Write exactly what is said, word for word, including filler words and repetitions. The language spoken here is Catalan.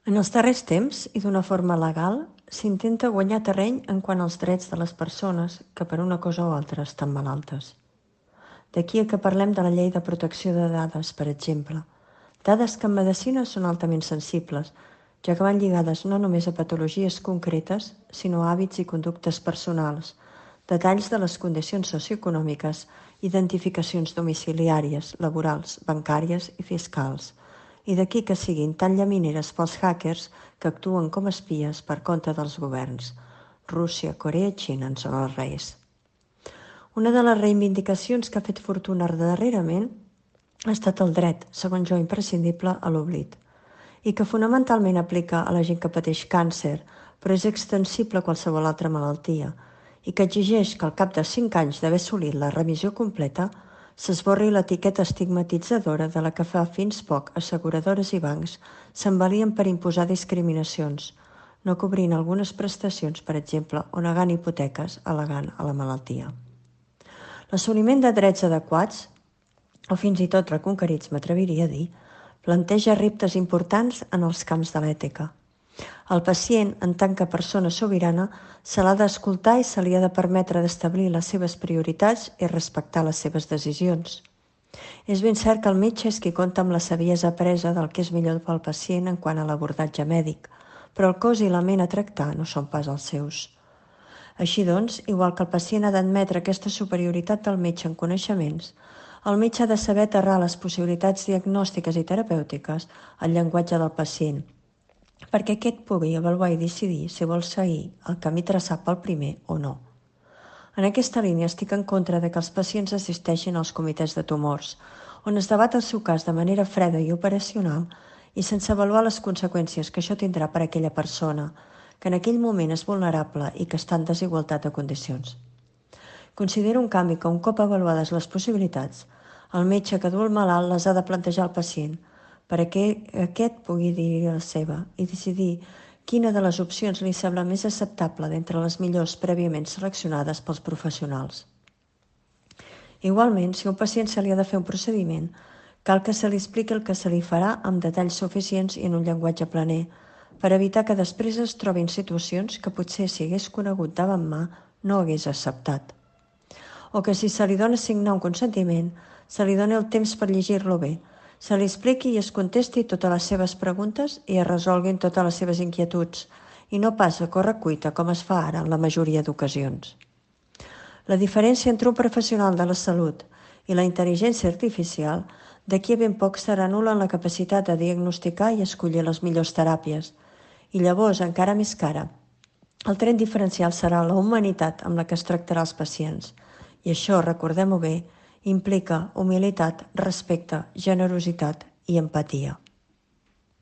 En els darrers temps, i d'una forma legal, s'intenta guanyar terreny en quant als drets de les persones que per una cosa o altra estan malaltes. D'aquí a que parlem de la llei de protecció de dades, per exemple. Dades que en medicina són altament sensibles, ja que van lligades no només a patologies concretes, sinó a hàbits i conductes personals, detalls de les condicions socioeconòmiques, identificacions domiciliàries, laborals, bancàries i fiscals. I d'aquí que siguin tan llamineres pels hackers que actuen com espies per compte dels governs. Rússia, Corea i Xina en són els reis. Una de les reivindicacions que ha fet fortuna darrerament ha estat el dret, segons jo imprescindible, a l'oblit, i que fonamentalment aplica a la gent que pateix càncer, però és extensible a qualsevol altra malaltia, i que exigeix que al cap de cinc anys d'haver assolit la remissió completa s'esborri l'etiqueta estigmatitzadora de la que fa fins poc asseguradores i bancs s'envalien per imposar discriminacions, no cobrint algunes prestacions, per exemple, o negant hipoteques al·legant a la malaltia. L'assoliment de drets adequats, o fins i tot reconquerits, m'atreviria a dir, planteja reptes importants en els camps de l'ètica. El pacient, en tant que persona sobirana, se l'ha d'escoltar i se li ha de permetre d'establir les seves prioritats i respectar les seves decisions. És ben cert que el metge és qui compta amb la saviesa apresa del que és millor pel pacient en quant a l'abordatge mèdic, però el cos i la ment a tractar no són pas els seus. Així doncs, igual que el pacient ha d'admetre aquesta superioritat del metge en coneixements, el metge ha de saber aterrar les possibilitats diagnòstiques i terapèutiques al llenguatge del pacient, perquè aquest pugui avaluar i decidir si vol seguir el camí traçat pel primer o no. En aquesta línia estic en contra de que els pacients assisteixin als comitès de tumors, on es debat el seu cas de manera freda i operacional i sense avaluar les conseqüències que això tindrà per a aquella persona, que en aquell moment és vulnerable i que està en desigualtat de condicions. Considero un canvi que un cop avaluades les possibilitats, el metge que du el malalt les ha de plantejar al pacient, perquè aquest pugui dir la seva i decidir quina de les opcions li sembla més acceptable d'entre les millors prèviament seleccionades pels professionals. Igualment, si a un pacient se li ha de fer un procediment, cal que se li expliqui el que se li farà amb detalls suficients i en un llenguatge planer, per evitar que després es trobin situacions que potser si hagués conegut davant mà no hagués acceptat. O que si se li dona signar un consentiment, se li doni el temps per llegir-lo bé, se li expliqui i es contesti totes les seves preguntes i es resolguin totes les seves inquietuds, i no pas a correcuita com es fa ara en la majoria d'ocasions. La diferència entre un professional de la salut i la intel·ligència artificial d'aquí a ben poc serà nul·la en la capacitat de diagnosticar i escollir les millors teràpies, i llavors, encara més cara, el tret diferencial serà la humanitat amb la que es tractarà els pacients, i això, recordem-ho bé, implica humilitat, respecte, generositat i empatia.